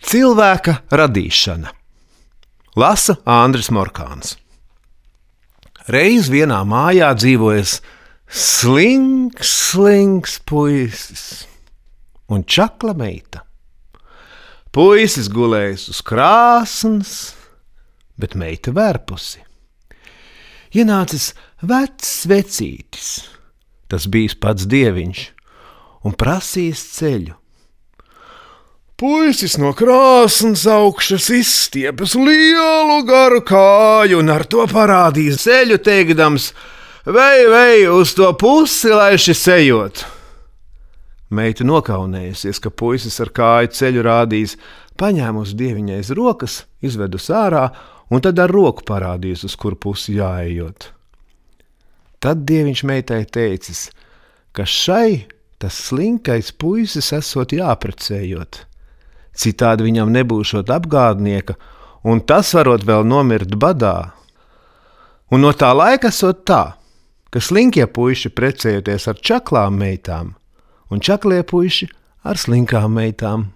Cilvēka radīšana. Lasa Andris Morkāns. Reiz vienā mājā dzīvojas slinks puisis un čakla meita. Puisis gulējis uz krāsns, bet meita vērpusi. Ienācis vecs vecītis, tas bijis pats dieviņš, un prasījis ceļu. Puisis no krāsns augšas izstiepjas lielu garu kāju un ar to parādīs ceļu, teikdams: vei, uz to pusi, lai šis ejot. Meita nokaunējusies, ka puisis ar kāju ceļu rādījis, paņēmusi dieviņai aiz rokas, izvedus ārā un tad ar roku parādījis, uz kuru pusi jāejot. Tad dieviņš meitai teicis, ka šai tas slinkais puisis esot jāprecējot. Citādi viņam nebūšot apgādnieka, un tas varot vēl nomirt badā. Un no tā laika esot tā, ka slinkie puiši precējoties ar čaklām meitām, un čaklie puiši ar slinkām meitām.